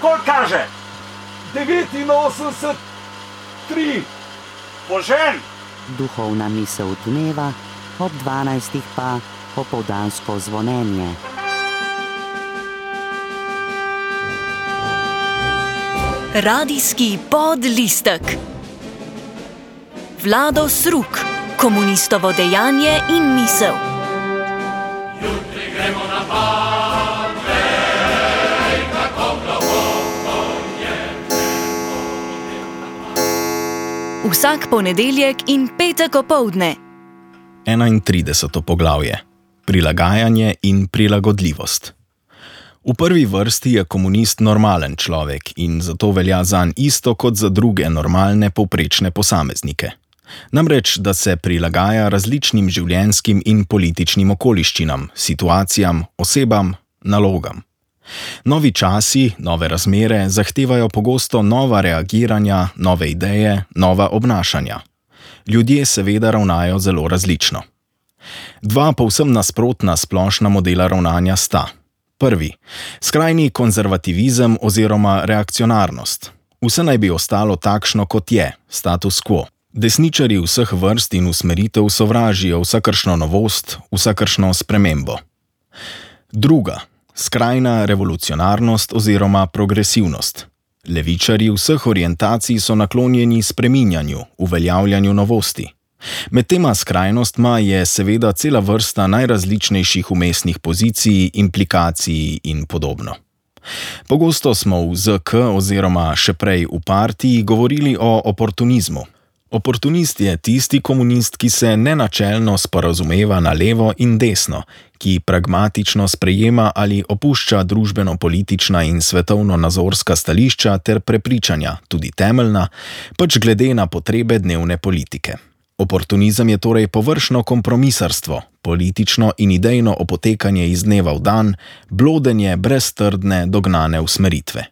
Koliko kaže? 89, 3. Požen! Duhovna misel dneva, ob 12. pa popoldansko zvonjenje. Radijski podlistek. Vlado Sruk, komunistovo dejanje in misel. Jutri gremo na Badvej, kako globoko je nebo. Vsak ponedeljek in petek opoldne. 31. poglavje. Prilagajanje in prilagodljivost. V prvi vrsti je komunist normalen človek in zato velja zanj isto kot za druge normalne povprečne posameznike. Namreč, da se prilagaja različnim življenjskim in političnim okoliščinam, situacijam, osebam, nalogam. Novi časi, nove razmere zahtevajo pogosto nova reagiranja, nove ideje, nova obnašanja. Ljudje seveda ravnajo zelo različno. Dva povsem nasprotna splošna modela ravnanja sta. Prvi, skrajni konzervativizem oziroma reakcionarnost. Vse naj bi ostalo takšno, kot je, status quo. Desničarji vseh vrst in usmeritev sovražijo vsakršno novost, vsakršno spremembo. Druga, skrajna revolucionarnost oziroma progresivnost. Levičarji vseh orientacij so naklonjeni spreminjanju, uveljavljanju novosti. Med tema skrajnostma je seveda cela vrsta najrazličnejših vmesnih pozicij, implikacij in podobno. Pogosto smo v ZK oziroma še prej v partiji govorili o oportunizmu. Oportunist je tisti komunist, ki se nenačelno sporazumeva na levo in desno, ki pragmatično sprejema ali opušča družbeno-politična in svetovno-nazorska stališča ter prepričanja, tudi temeljna, pač glede na potrebe dnevne politike. Oportunizem je torej površno kompromisarstvo, politično in idejno opotekanje iz dneva v dan, blodenje brez trdne, dognane usmeritve.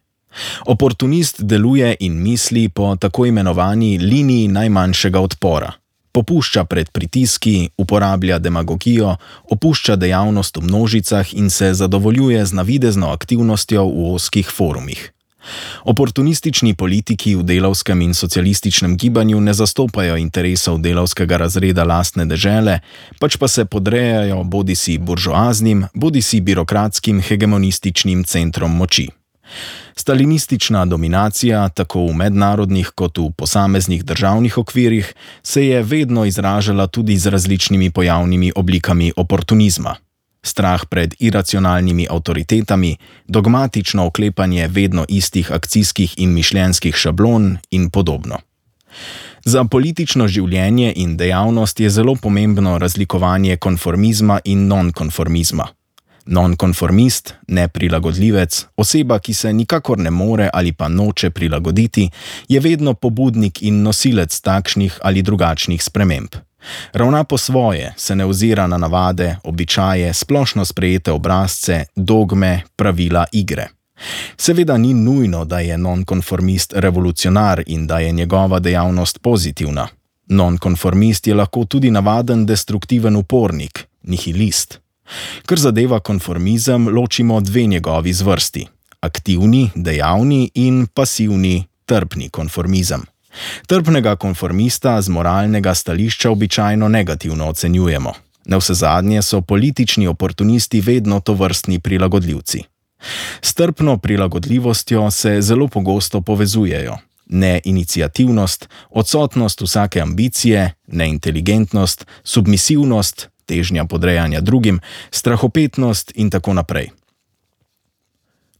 Oportunist deluje in misli po tako imenovani liniji najmanjšega odpora. Popušča pred pritiski, uporablja demagogijo, opušča dejavnost v množicah in se zadovoljuje z navidezno aktivnostjo v ozkih forumih. Oportunistični politiki v delavskem in socialističnem gibanju ne zastopajo interesov delavskega razreda lastne dežele, pač pa se podrejajo bodisi buržoaznim, bodisi birokratskim hegemonističnim centrom moči. Stalinistična dominacija, tako v mednarodnih kot v posameznih državnih okvirih, se je vedno izražala tudi z različnimi pojavnimi oblikami oportunizma. Strah pred iracionalnimi avtoritetami, dogmatično oklepanje vedno istih akcijskih in mišljenjskih šablon in podobno. Za politično življenje in dejavnost je zelo pomembno razlikovanje konformizma in nonkonformizma. Nonkonformist, neprilagodljivec, oseba, ki se nikakor ne more ali pa noče prilagoditi, je vedno pobudnik in nosilec takšnih ali drugačnih sprememb. Ravna po svoje, se ne ozira na navade, običaje, splošno sprejete obrazce, dogme, pravila igre. Seveda ni nujno, da je nonkonformist revolucionar in da je njegova dejavnost pozitivna. Nonkonformist je lahko tudi navaden destruktiven upornik, nihilist. Kar zadeva konformizem, ločimo dve njegovi zvrsti: aktivni, dejavni in pasivni, trpni konformizem. Trpnega konformista z moralnega stališča običajno negativno ocenjujemo. Navsezadnje so politični oportunisti vedno tovrstni prilagodljivci. S trpno prilagodljivostjo se zelo pogosto povezujejo neiniciativnost, odsotnost vsake ambicije, neinteligentnost, submisivnost, težnja podrejanja drugim, strahopetnost in tako naprej.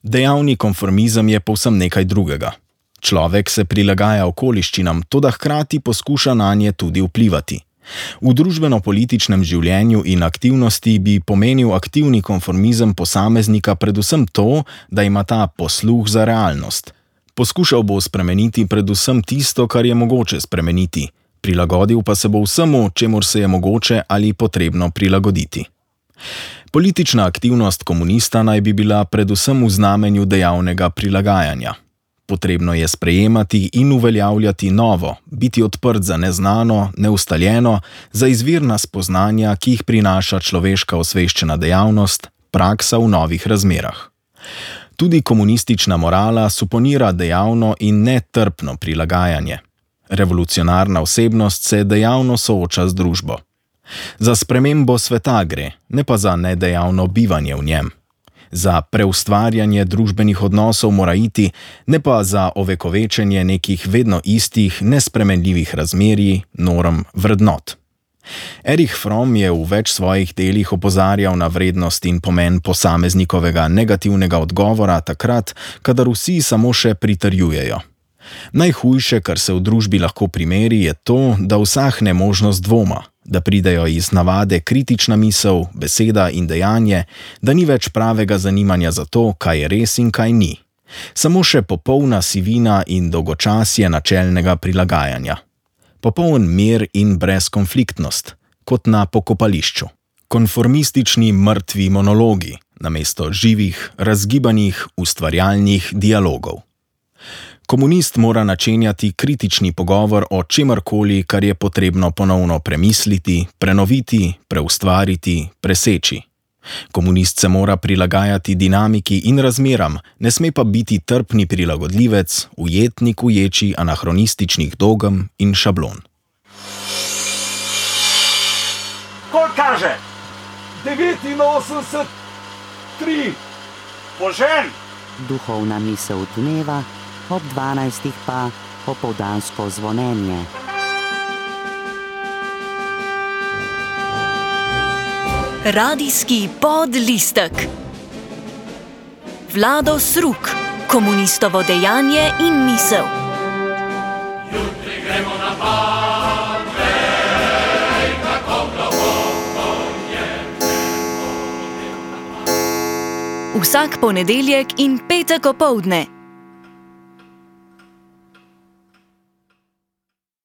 Dejavni konformizem je povsem nekaj drugega. Človek se prilagaja okoliščinam, toda hkrati poskuša nanje tudi vplivati. V družbeno-političnem življenju in aktivnosti bi pomenil aktivni konformizem posameznika predvsem to, da ima ta posluh za realnost. Poskušal bo spremeniti predvsem tisto, kar je mogoče spremeniti, prilagodil pa se bo vsemu, čemur se je mogoče ali potrebno prilagoditi. Politična aktivnost komunista naj bi bila predvsem v znamenju dejavnega prilagajanja. Potrebno je sprejemati in uveljavljati novo, biti odprt za neznano, neustaljeno, za izvirna spoznanja, ki jih prinaša človeška osveščena dejavnost, praksa v novih razmerah. Tudi komunistična morala suponira dejavno in netrpno prilagajanje. Revolucionarna osebnost se dejavno sooča z družbo. Za spremembo sveta gre, ne pa za nedejavno bivanje v njem. Za preustvarjanje družbenih odnosov mora iti, ne pa za ovekovečenje nekih vedno istih, nespremenljivih razmerij, norm, vrednot. Erich Fromm je v več svojih delih opozarjal na vrednost in pomen posameznikovega negativnega odgovora takrat, kadar vsi samo še pritrjujejo. Najhujše, kar se v družbi lahko primeri, je to, da usahne možnost dvoma, da pridejo iz navade kritična misel, beseda in dejanje, da ni več pravega zanimanja za to, kaj je res in kaj ni. Samo še popolna sivina in dolgočasje načelnega prilagajanja. Popoln mir in brezkonfliktnost, kot na pokopališču. Konformistični mrtvi monologi, namesto živih, razgibanih, ustvarjalnih dialogov. Komunist mora načenjati kritični pogovor o čemarkoli, kar je potrebno ponovno premisliti, prenoviti, preustvariti, preseči. Komunist se mora prilagajati dinamiki in razmeram, ne sme pa biti trpni prilagodljivec, ujetnik v ječi anahronističnih dogem in šablon. Koliko kaže? 89, 3. Požen! Duhovna misel dneva, ob 12. pa popoldansko zvonjenje. Radijski podlistek. Vlado Sruk, komunistovo dejanje in misel. Jutri gremo na pad, vej, kako globoko je. Vsak ponedeljek in petek opoldne